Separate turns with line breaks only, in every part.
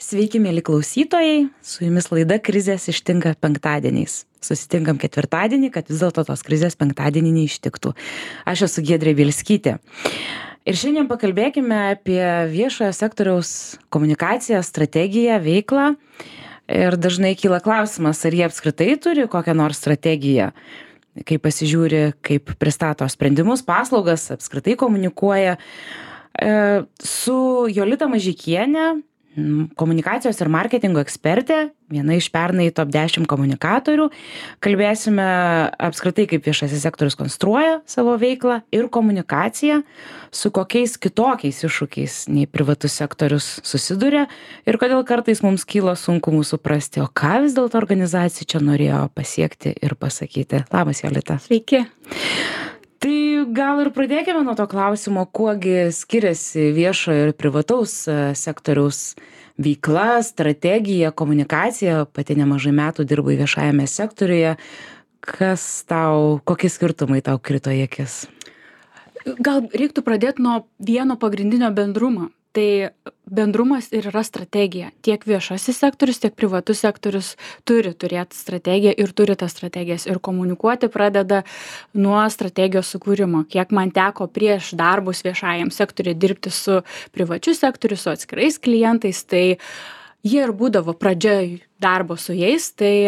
Sveiki, mėly klausytojai, su jumis laida Krizės ištinka penktadieniais. Susitinkam ketvirtadienį, kad vis dėlto tos krizės penktadienį neištiktų. Aš esu Giedrė Bielskytė. Ir šiandien pakalbėkime apie viešojo sektoriaus komunikaciją, strategiją, veiklą. Ir dažnai kyla klausimas, ar jie apskritai turi kokią nors strategiją, kaip pasižiūri, kaip pristato sprendimus, paslaugas, apskritai komunikuoja. Su Jolita Mažeikienė, komunikacijos ir marketingo ekspertė, viena iš pernai top 10 komunikatorių. Kalbėsime apskritai, kaip viešasis sektorius konstruoja savo veiklą ir komunikaciją, su kokiais kitokiais iššūkiais nei privatus sektorius susiduria ir kodėl kartais mums kyla sunkumų suprasti, o ką vis dėlto organizacija čia norėjo pasiekti ir pasakyti. Labas, Jolita.
Sveiki.
Tai gal ir pradėkime nuo to klausimo, kuogi skiriasi viešojo ir privataus sektoriaus veikla, strategija, komunikacija. Pati nemažai metų dirbai viešajame sektoriuje. Kokie skirtumai tau krito į akis?
Gal reiktų pradėti nuo vieno pagrindinio bendrumo. Tai bendrumas ir yra strategija. Tiek viešasis sektorius, tiek privatus sektorius turi turėti strategiją ir turi tas strategijas. Ir komunikuoti pradeda nuo strategijos sukūrimo. Kiek man teko prieš darbus viešajam sektoriui dirbti su privačiu sektoriu, su atskirais klientais, tai jie ir būdavo pradžia darbo su jais, tai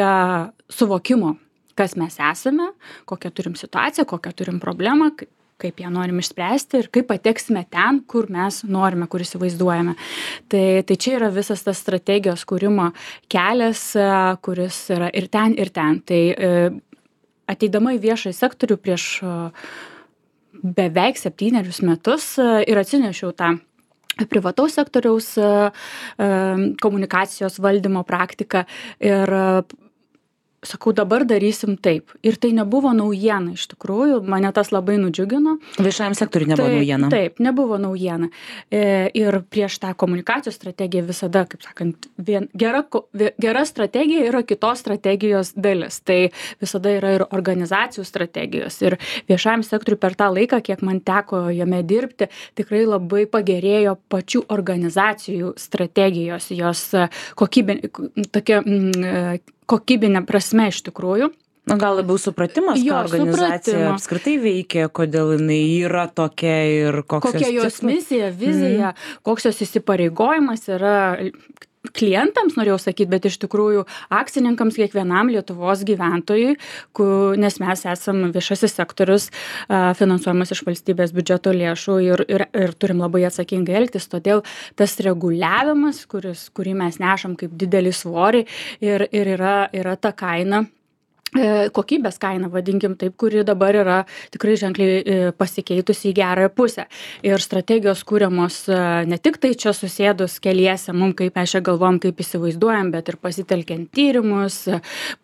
suvokimo, kas mes esame, kokią turim situaciją, kokią turim problemą, kaip ją norim išspręsti ir kaip pateksime ten, kur mes norime, kur įsivaizduojame. Tai čia yra visas tas strategijos kūrimo kelias, kuris yra ir ten, ir ten. Tai ateidama į viešąjį sektorių prieš beveik 7 metus ir atsinešiau tą privataus sektoriaus komunikacijos valdymo praktiką ir sakau, dabar darysim taip. Ir tai nebuvo naujiena iš tikrųjų, mane tas labai nudžiugino.
Viešajam sektoriui nebuvo naujiena.
Taip, nebuvo naujiena. Ir prieš tą komunikacijos strategiją visada, kaip sakant, gera strategija yra kitos strategijos dalis. Tai visada yra ir organizacijų strategijos. Ir viešajam sektoriui per tą laiką, kiek man teko jame dirbti, tikrai labai pagerėjo pačių organizacijų strategijos, jos kokybinė prasme iš tikrųjų.
Gal labiau supratimas, ką organizacija apskritai veikia, kodėl jinai yra tokia ir
kokia jos misija, vizija, koks jos įsipareigojimas yra klientams, norėjau sakyti, bet iš tikrųjų akcininkams, kiekvienam Lietuvos gyventojui, nes mes esam viešasis sektorius finansuojamas iš valstybės biudžeto lėšų ir turim labai atsakingai elgtis, todėl tas reguliavimas, kurį mes nešam kaip didelį svorį ir yra ta kaina, kokybės kaina, vadinkim taip, kuri dabar yra tikrai ženkliai pasikeitusi į gerąją pusę. Ir strategijos kūriamos ne tik tai čia susėdus keliese, kaip mes čia galvom, kaip įsivaizduojam, bet ir pasitelkiant tyrimus,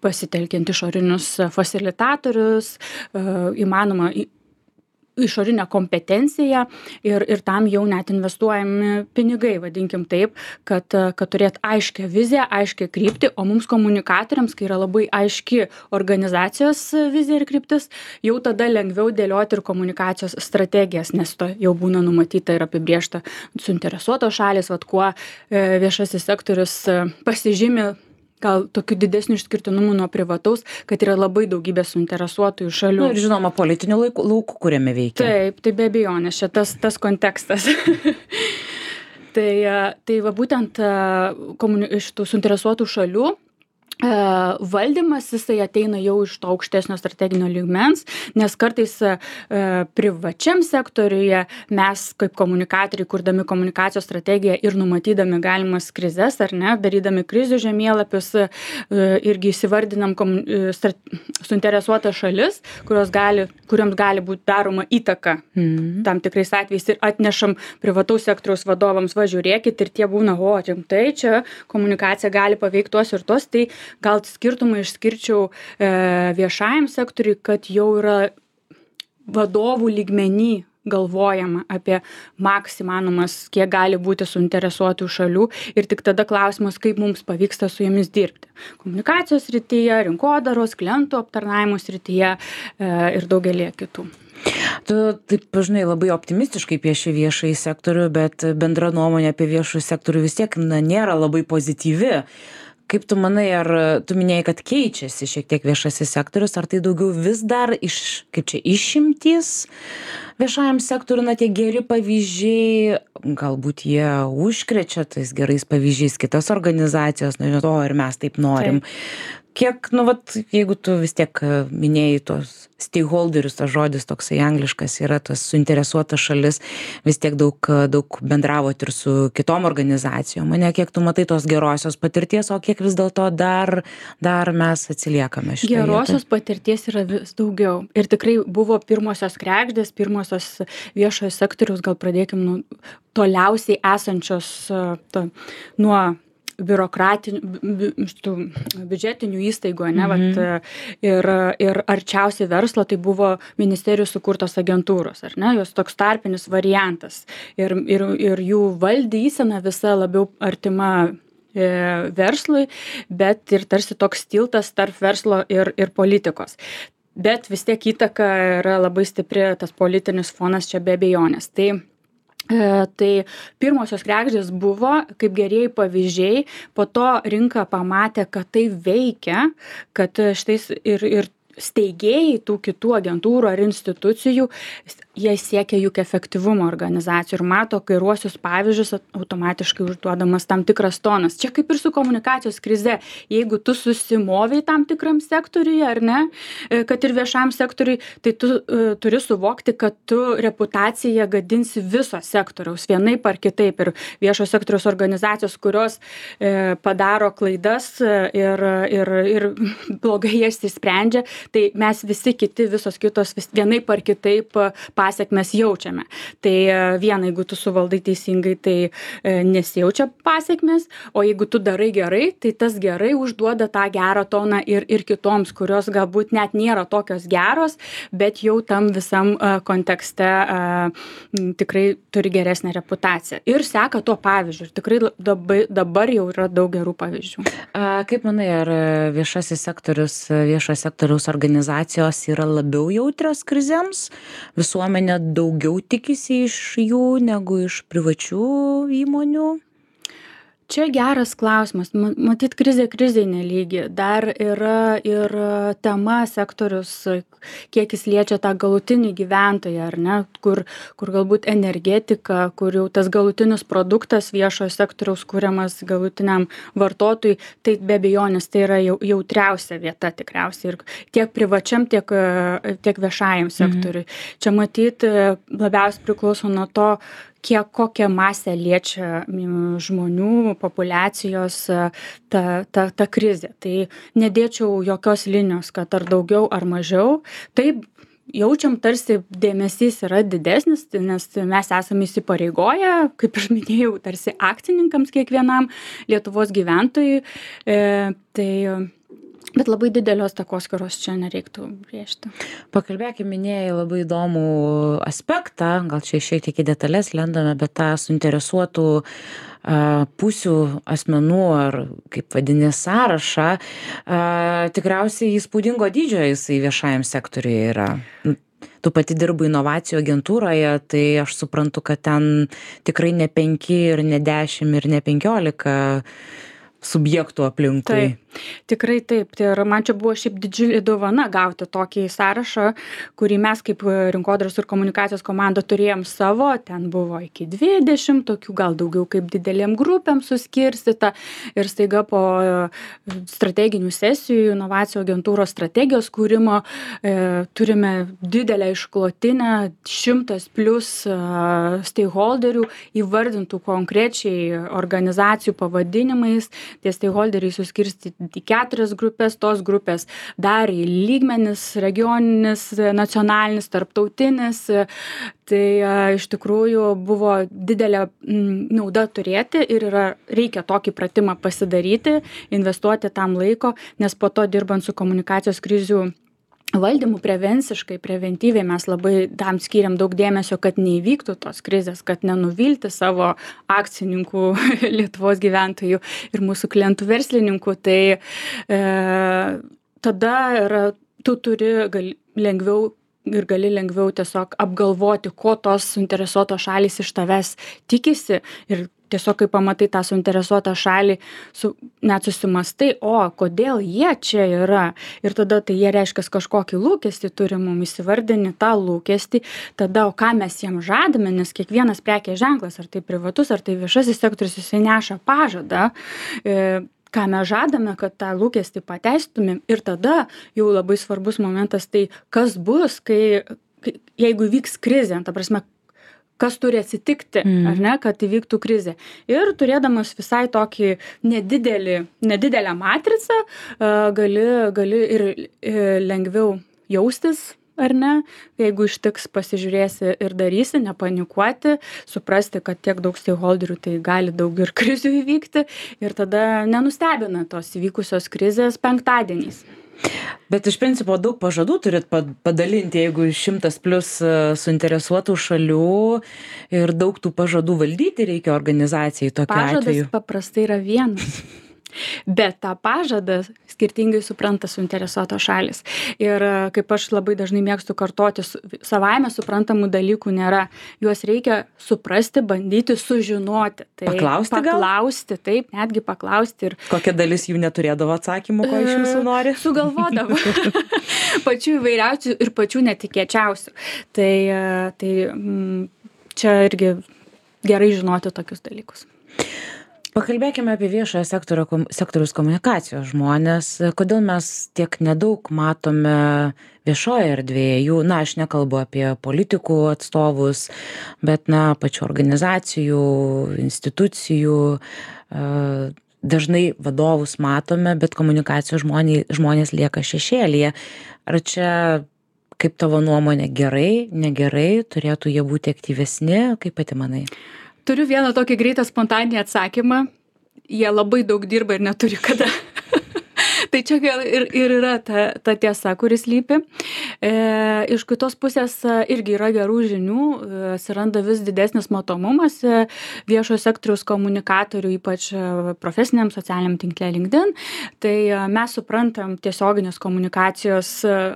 pasitelkiant išorinius fasilitatorius, įmanoma išorinę kompetenciją ir tam jau net investuojami pinigai, vadinkim taip, kad turėt aiškią viziją, aiškią kryptį, o mums komunikatoriams, kai yra labai aiški organizacijos vizija ir kryptis, jau tada lengviau dėlioti ir komunikacijos strategijas, nes to jau būna numatyta ir apibrėžta suinteresuotos šalys, kuo viešasis sektorius pasižymi gal tokių didesnių išskirtinumų nuo privataus, kad yra labai daugybė suinteresuotųjų šalių.
Ir žinoma, politinių laukų, kuriame veikia.
Taip, tai be abejonės, čia tas kontekstas. Tai va būtent iš tų suinteresuotų šalių valdymas, jisai ateina jau iš to aukštesnio strateginio lygmens, nes kartais privačiam sektoriuje mes kaip komunikatoriai, kurdami komunikacijos strategiją ir numatydami galimas krizes, ar ne, darydami krizių žemėlapius, irgi įsivardinam suinteresuotas šalis, kurioms gali būti daroma įtaka tam tikrais atvejais ir atnešam privataus sektoriaus vadovams, žiūrėkit, ir tie būna, rimtai, čia komunikacija gali paveikti tuos ir tuos, tai gal skirtumą išskirčiau viešajam sektoriui, kad jau yra vadovų lygmenį galvojama apie maks įmanomas, kiek gali būti suinteresuotų šalių ir tik tada klausimas, kaip mums pavyksta su jomis dirbti. Komunikacijos srityje, rinkodaros, klientų aptarnavimo srityje ir daugelį kitų.
Tu taip, žinai, labai optimistiškai pieši viešąjį sektorių, bet bendra nuomonė apie viešąjį sektorių vis tiek nėra labai pozityvi. Kaip tu manai, ar tu minėjai, kad keičiasi šiek tiek viešasis sektorius, ar tai daugiau vis dar išimtys viešajam sektoriu, tie geri pavyzdžiai, galbūt jie užkrečia tais gerais pavyzdžiais kitas organizacijos, nežinau, ir mes taip norim. Kiek, jeigu tu vis tiek minėjai tos stakeholderius, tas žodis toksai angliškas yra, tas suinteresuotas šalis, vis tiek daug bendravot ir su kitom organizacijom. Kiek tu matai tos gerosios patirties, o kiek vis dėlto dar mes atsiliekame šitoje vietoje?
Gerosios patirties yra vis daugiau. Ir tikrai buvo pirmosios kregždės, pirmosios viešojo sektoriaus, gal pradėkim toliausiai esančios nuo biudžetinių įstaigų, ir arčiausiai verslo, tai buvo ministerijų sukurtos agentūros, jos toks tarpinis variantas. Ir jų valdysena visa labiau artima verslui, bet ir tarsi toks tiltas tarp verslo ir politikos. Bet vis tiek įtaka yra labai stipri, tas politinis fonas čia be abejonės. Tai pirmosios kregždės buvo kaip gerieji pavyzdžiai, po to rinka pamatė, kad tai veikia, kad štais ir steigėjai tų kitų agentūrų ar institucijų, jie siekia juk efektyvumo organizacijų ir mato kairuosius pavyzdžius, automatiškai užduodamas tam tikras tonas. Čia kaip ir su komunikacijos krize, jeigu tu susimoviai tam tikram sektoriuje, ar ne, kad ir viešam sektoriui, tai tu turi suvokti, kad tu reputaciją gadinsi viso sektoriaus, vienaip ar kitaip, ir viešo sektoriaus organizacijos, kurios padaro klaidas ir blogai jas įsprendžia, tai mes visi kiti, visos kitos vienaip ar kitaip pasiekmes jaučiame. Tai viena, jeigu tu suvaldai teisingai, tai nesijaučia pasiekmes, o jeigu tu darai gerai, tai tas gerai užduoda tą gerą toną ir kitoms, kurios galbūt net nėra tokios geros, bet jau tam visam kontekste tikrai turi geresnę reputaciją. Ir seka tuo pavyzdžiu. Ir tikrai dabar jau yra daug gerų pavyzdžių.
Kaip manai, ar viešojo sektoriaus organizacijos yra labiau jautrios krizėms? Visuomenė daugiau tikisi iš jų negu iš privačių įmonių?
Čia geras klausimas. Matyt, krizė nelygi. Dar yra ir tema sektorius, kiek jis liečia tą galutinį gyventoją, ar ne, kur galbūt energetika, kur jau tas galutinis produktas viešojo sektoriaus kuriamas galutiniam vartotojui, tai be abejonės tai yra jautriausia vieta tikriausiai ir tiek privačiam, tiek viešajam sektoriui. Čia matyt, labiausiai priklauso nuo to, kokią masę liečia žmonių, populiacijos ta krizė. Tai nedėčiau jokios linijos, kad ar daugiau ar mažiau. Taip, jaučiam tarsi dėmesys yra didesnis, nes mes esame įsipareigoję, kaip aš minėjau, tarsi akcininkams kiekvienam Lietuvos gyventojui. Bet labai didelios takoskyros čia nereiktų brėžti.
Pakalbėkime, minėjai labai įdomų aspektą, gal čia šiek tiek į detalės lendame, bet tą suinteresuotų pusių asmenų ar kaip vadini sąrašą, tikriausiai įspūdingo dydžio jisai viešajam sektoriuje yra. Tu pati dirbai inovacijų agentūroje, tai aš suprantu, kad ten tikrai ne 5 ir ne 10 ir ne 15 subjektų aplinkui.
Tikrai taip. Ir man čia buvo šiaip didžiulė dovana gauti tokį sąrašą, kurį mes kaip rinkodaros ir komunikacijos komanda turėjom savo. Ten buvo iki 20, tokių gal daugiau kaip didelėm grupėm suskirstyta. Ir staiga po strateginių sesijų, inovacijų agentūros strategijos kūrimo turime didelę išklotinę 100+ stakeholderių įvardintų konkrečiai organizacijų pavadinimais. Tie stakeholderiai suskirstyti į 4 grupės, tos grupės dar į lygmenis, regioninis, nacionalinis, tarptautinis. Tai iš tikrųjų buvo didelė nauda turėti ir reikia tokį pratimą pasidaryti, investuoti tam laiko, nes po to dirbant su komunikacijos krizių valdymu prevenciškai, preventyviai mes labai tam skiriam daug dėmesio, kad neįvyktų tos krizės, kad nenuvilti savo akcininkų, Lietuvos gyventojų ir mūsų klientų verslininkų. Tai tada tu gali lengviau tiesiog apgalvoti, ko tos suinteresuotos šalys iš tavęs tikisi ir tiesiog, kai pamatai tą suinteresuotą šalį, net susimastai, kodėl jie čia yra. Ir tada tai jie reiškia kažkokį lūkestį turi mums įsivardinti tą lūkestį, tada, ką mes jiems žadame, nes kiekvienas prekės ženklas, ar tai privatus, ar tai viešasis sektorius, jisai neša pažadą, ką mes žadame, kad tą lūkestį pateistumėm. Ir tada jau labai svarbus momentas, tai kas bus, jeigu vyks krizė, ta prasme, kas turi atsitikti, ar ne, kad įvyktų krizė. Ir turėdamas visai tokį nedidelę matricą, gali ir lengviau jaustis, ar ne, jeigu ištiks, pasižiūrėsi ir darysi, nepanikuoti, suprasti, kad tiek daug stakeholderių, tai gali daug ir krizių įvykti, ir tada nenustebina tos įvykusios krizės penktadieniais.
Bet iš principo daug pažadų turit padalinti, jeigu 100+ suinteresuotų šalių ir daug tų pažadų valdyti reikia organizacijai tokiu atveju.
Pažadas paprastai yra vienas. Bet tą pažadą skirtingai supranta suinteresuotos šalys. Ir kaip aš labai dažnai mėgstu kartoti, savaime suprantamų dalykų nėra. Juos reikia suprasti, bandyti sužinoti. Tai paklausti, taip, netgi paklausti. Ir
kokia dalis jų neturėdavo atsakymų, ko iš jūsų nori?
Sugalvodavo. Pačių įvairiausių ir pačių netikėčiausių. Tai čia irgi gerai žinoti tokius dalykus.
Pakalbėkime apie viešojo sektoriaus komunikacijos žmonės. Kodėl mes tiek nedaug matome viešoje erdvėje? Aš nekalbu apie politikų atstovus, bet pačių organizacijų, institucijų. Dažnai vadovus matome, bet komunikacijos žmonės lieka šešėlyje. Ar čia, kaip tavo nuomonė, gerai, negerai, turėtų jie būti aktyvesni? Kaip pati manai?
Turiu vieną tokį greitą spontaninį atsakymą. Jie labai daug dirba ir neturi kada. Tai čia ir yra ta tiesa, kuris lypi. Iš kitos pusės irgi yra gerų žinių, atsiranda vis didesnis matomumas viešojo sektoriaus komunikatorių, ypač profesiniam socialiniam tinkle LinkedIn. Tai mes suprantam tiesioginės komunikacijos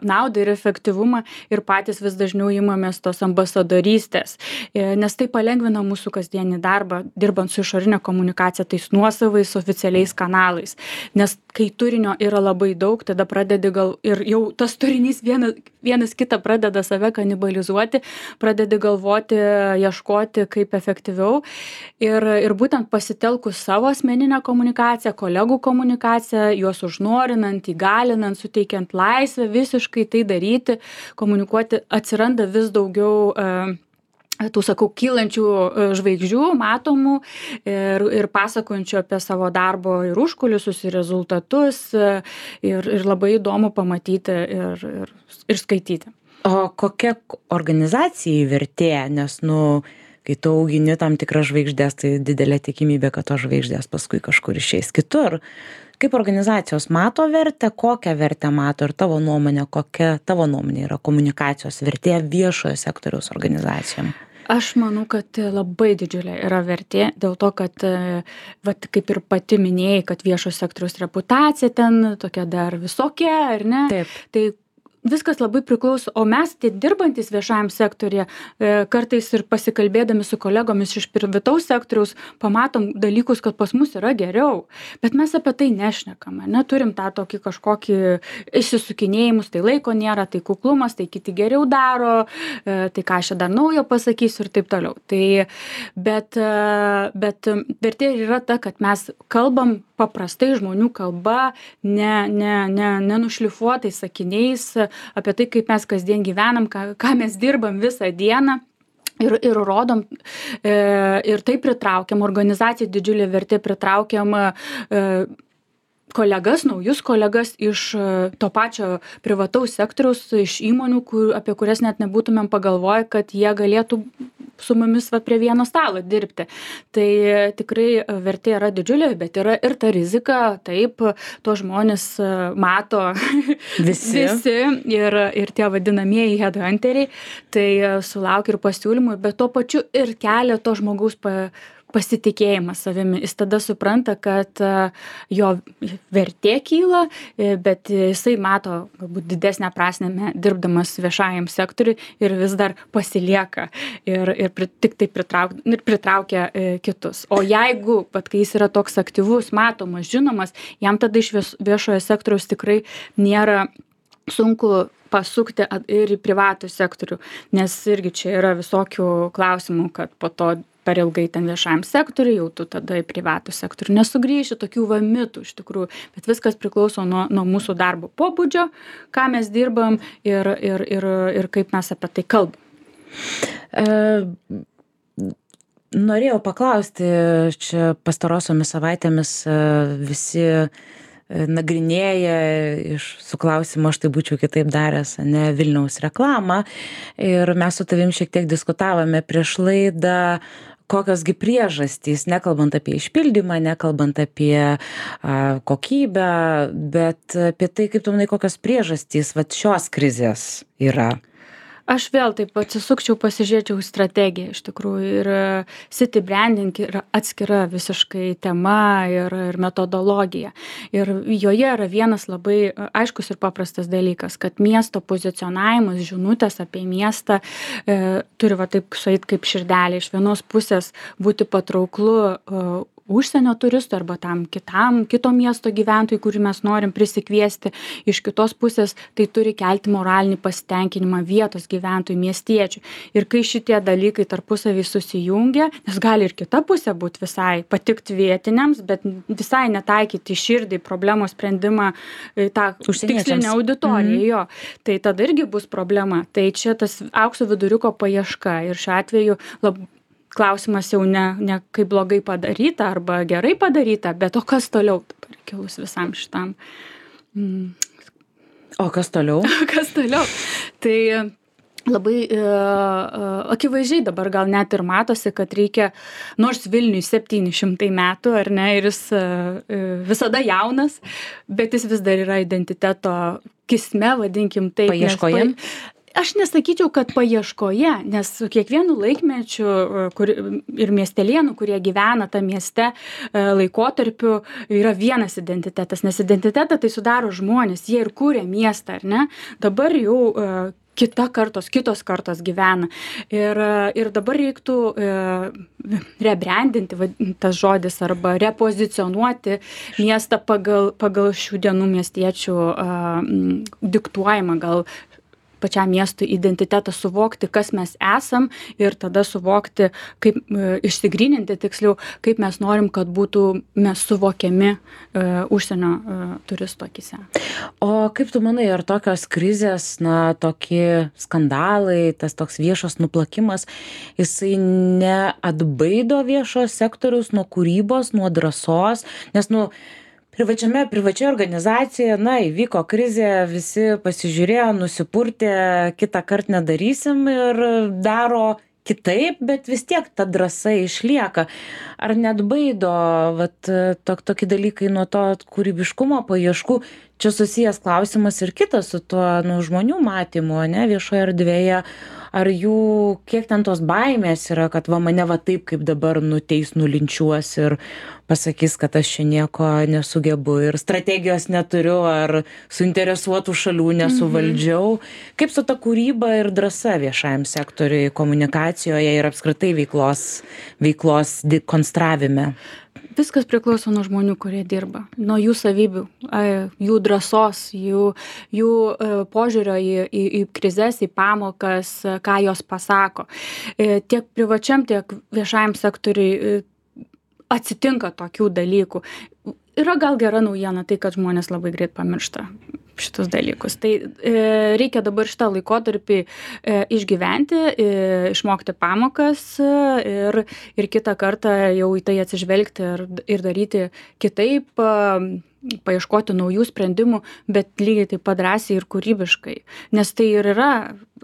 naudą ir efektyvumą ir patys vis dažniau imamės tos ambasadorystės, nes tai palengvina mūsų kasdienį darbą, dirbant su išorinė komunikacija, tais nuosavais oficialiais kanalais. Nes kai turinio yra labai daug, tada pradedi ir jau tas turinys vienas kitą pradeda save kanibalizuoti, pradedi galvoti, ieškoti kaip efektyviau. Ir būtent pasitelkus savo asmeninę komunikaciją, kolegų komunikaciją, juos užnorinant, įgalinant, suteikiant laisvę visiškai tai daryti, komunikuoti, atsiranda vis daugiau tų, kylančių žvaigždžių, matomų ir pasakojančių apie savo darbo ir užkulisius, ir rezultatus, ir labai įdomu pamatyti ir skaityti.
O kokia organizacijai vertė, nes, kai tu augini tam tikras žvaigždės, tai didelė tikimybė, kad tos žvaigždės paskui kažkur išeis kitur. Kaip organizacijos mato vertę, kokią vertę mato ir tavo nuomonė, kokia tavo nuomonė yra komunikacijos vertė viešojo sektoriaus organizacijom?
Aš manau, kad labai didžiulė yra vertė, dėl to, kad, kaip ir pati minėjai, kad viešo sektoriaus reputacija ten tokia dar visokia, ar ne?
Taip.
Tai viskas labai priklauso, o mes tie dirbantys viešajam sektorija, kartais ir pasikalbėdami su kolegomis iš privataus sektoriaus, pamatom dalykus, kad pas mus yra geriau, bet mes apie tai nešnekam, neturim tą tokį kažkokį išsisukinėjimus, tai laiko nėra, tai kuklumas, tai kiti geriau daro, tai ką aš dar naujo pasakysiu ir taip toliau. Tai, bet vertė yra ta, kad mes kalbam paprastai žmonių kalba, nenušlifuotais sakiniais, apie tai, kaip mes kasdien gyvenam, ką mes dirbam visą dieną ir rodom, ir tai pritraukiam, organizacijai didžiulė vertė pritraukiam kolegas, naujus kolegas iš to pačio privataus sektoriaus, iš įmonių, apie kurias net nebūtumėm pagalvoję, kad jie galėtų su mumis va prie vieno stalo dirbti. Tai tikrai vertė yra didžiulė, bet yra ir ta rizika, taip, to žmonės mato
Visi.
ir tie vadinamieji headhunteriai, tai sulaukia ir pasiūlymų, bet tuo pačiu ir kelia to žmogaus pasitikėjimą savimi. Jis tada supranta, kad jo vertė kyla, bet jisai mato galbūt didesnę prasmę dirbdamas viešajam sektoriui ir vis dar pasilieka ir tik tai pritraukia kitus. O jeigu, kai jis yra toks aktyvus, matomas, žinomas, jam tada iš viešojo sektoriaus tikrai nėra sunku pasukti ir į privatų sektorių, nes irgi čia yra visokių klausimų, kad po to per ilgai ten viešajam sektoriui, jau tu tada į privatų sektorių nesugrįši, tokių mitų iš tikrųjų, bet viskas priklauso nuo mūsų darbo pobūdžio, ką mes dirbam ir kaip mes apie tai kalbam.
Norėjau paklausti, čia pastarosiomis savaitėmis visi nagrinėja su klausimu, aš tai būčiau kitaip daręs, ne Vilniaus reklamą. Ir mes su tavim šiek tiek diskutavome prieš laidą, kokiosgi priežastys, nekalbant apie išpildymą, nekalbant apie kokybę, bet apie tai, kaip tu manai, kokios priežastys šios krizės yra.
Aš vėl taip atsisukčiau, pasižiūrėčiau strategiją iš tikrųjų ir city branding yra atskira visiškai tema ir metodologija. Ir joje yra vienas labai aiškus ir paprastas dalykas, kad miesto pozicionavimas, žinutės apie miestą turi taip sueit kaip širdelė. Iš vienos pusės būti patrauklu užsienio turistų arba tam kito miesto gyventojų, kurį mes norim prisikviesti. Iš kitos pusės tai turi kelti moralinį pasitenkinimą vietos gyventojų, miestiečių. Ir kai šitie dalykai tarpusavį susijungia, nes gali ir kita pusė būti visai patikti vietiniams, bet visai netaikyti širdį problemos sprendimą tą tikslinę auditoriją. Jo. Tai tada irgi bus problema. Tai čia tas aukso viduriuko paieška ir šiuo atveju klausimas jau ne kaip blogai padaryta arba gerai padaryta, bet o kas toliau dabar kilus visam šitam.
O kas toliau?
Kas toliau? Tai labai akivaizdžiai dabar gal net ir matosi, kad reikia, nors Vilniui 700 metų, ar ne, ir jis visada jaunas, bet jis vis dar yra identiteto kisme, vadinkim taip.
Paieškoje?
Aš nesakyčiau, kad paieškoje, nes su kiekvienu laikmečiu ir miestelėnų, kurie gyvena tą mieste laikotarpiu, yra vienas identitetas, nes identitetą tai sudaro žmonės, jie ir kūrė miestą, ar ne? Dabar jau kitos kartos gyvena. Ir dabar reiktų rebrandinti, tas žodis, arba repozicionuoti miestą pagal šių dienų miestiečių diktuojamą gal pačiam miestui identitetą, suvokti, kas mes esam ir tada suvokti, kaip išsigryninti tiksliau, kaip mes norim, kad būtų mes suvokiami užsienio turistų akyse.
O kaip tu manai, ar tokios krizės, tokie skandalai, tas toks viešas nuplakimas, jisai neatbaido viešo sektoriaus nuo kūrybos, nuo drąsos, nes privačioje organizacijoje, įvyko krizė, visi pasižiūrėjo, nusipurtė, kitą kartą nedarysim ir daro kitaip, bet vis tiek ta drąsa išlieka. Ar neatbaido tokie dalykai nuo to kūrybiškumo paieškų? Čia susijęs klausimas ir kitas su tuo žmonių matymu, viešoje erdvėje. Ar jų, kiek ten tos baimės yra, kad mane taip, kaip dabar nuteis, nulinčiuos ir pasakys, kad aš čia nieko nesugebu ir strategijos neturiu, ar suinteresuotų šalių nesuvaldžiau. Kaip su ta kūryba ir drąsa viešajam sektoriui, komunikacijoje ir apskritai veiklos konstravime?
Viskas priklauso nuo žmonių, kurie dirba, nuo jų savybių, jų drąsos, jų požiūrio į krizes, į pamokas, ką jos pasako. Tiek privačiam, tiek viešajam sektoriui atsitinka tokių dalykų. Yra gal gera naujiena tai, kad žmonės labai greit pamiršta šitus dalykus. Tai reikia dabar šitą laikotarpį išgyventi, išmokti pamokas ir kitą kartą jau į tai atsižvelgti ir daryti kitaip, paieškoti naujų sprendimų, bet lygiai taip pat drąsiai ir kūrybiškai. Nes tai ir yra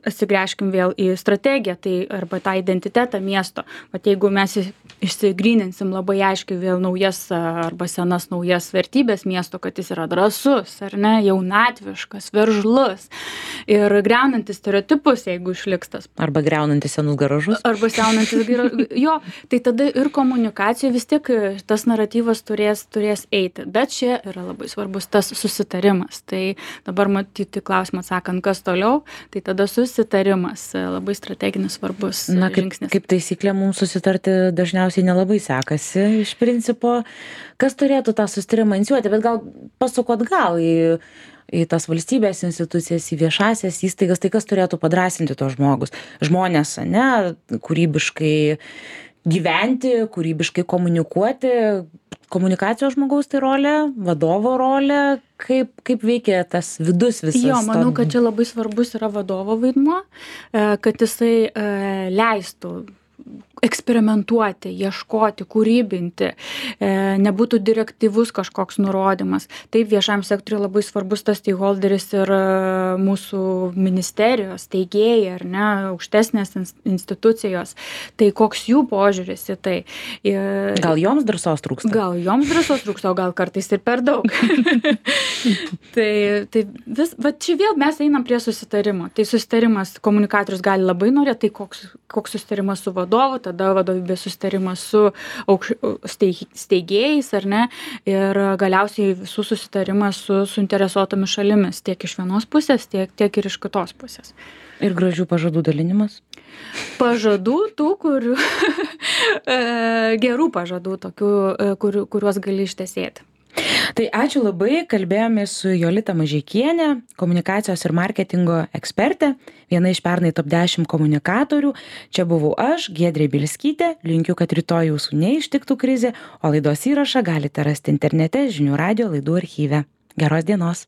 atsigręžkim vėl į strategiją, tai arba tą identitetą miesto. Vat jeigu mes išsigryninsim labai aiškiai vėl naujas arba senas naujas vertybės miesto, kad jis yra drąsus, ar ne, jaunatviškas, veržlus ir greunantis stereotipus, jeigu išliks tas.
Arba greunantis senus garažus.
Arba greunantis jo, tai tada ir komunikacija vis tiek tas naratyvas turės eiti. Bet čia yra labai svarbus tas susitarimas. Tai dabar matyti klausimą atsakant, kas toliau, tai tada susitarimas labai strateginis svarbus žingsnis.
Kaip taisyklė, mums susitarti dažniausiai nelabai sekasi iš principo. Kas turėtų tą susitarimą inicijuoti, bet gal pasukot gal į tas valstybės institucijas, į viešasias įstaigas, tai kas turėtų padrąsinti tos žmonės, ne, kūrybiškai gyventi, kūrybiškai komunikuoti. Komunikacijos žmogaus tai rolė, vadovo rolė, kaip veikia tas vidus visas.
Jo, manau, kad čia labai svarbus yra vadovo vaidmuo, kad jisai leistų eksperimentuoti, ieškoti, kūrybinti, nebūtų direktyvus kažkoks nurodymas. Taip, viešam sektoriui labai svarbus tas stakeholderis ir mūsų ministerijos, steigėjai, ar ne, aukštesnės institucijos. Tai koks jų požiūris į tai.
Gal joms drąsos trūksta?
Gal joms drąsos trūksta, o gal kartais ir per daug. Va čia vėl mes einam prie susitarimo. Tai susitarimas komunikatorius gali labai norėti, tai koks susitarimas su vadovu, tada vadovybės susitarimas su steigėjais, ar ne, ir galiausiai visų susitarimas su suinteresuotomis šalimis, tiek iš vienos pusės, tiek ir iš kitos pusės.
Ir gražių pažadų dalinimas?
Pažadų tų, kurių gerų pažadų, tokių, kuriuos gali ištesėti.
Tai ačiū labai, kalbėjome su Jolita Mažeikienė, komunikacijos ir marketingo ekspertė, viena iš pernai top 10 komunikatorių. Čia buvau aš, Giedrė Bielskytė, linkiu, kad rytoj jūsų neištiktų krizė, o laidos įrašą galite rasti internete žinių radijo laidų archyve. Geros dienos.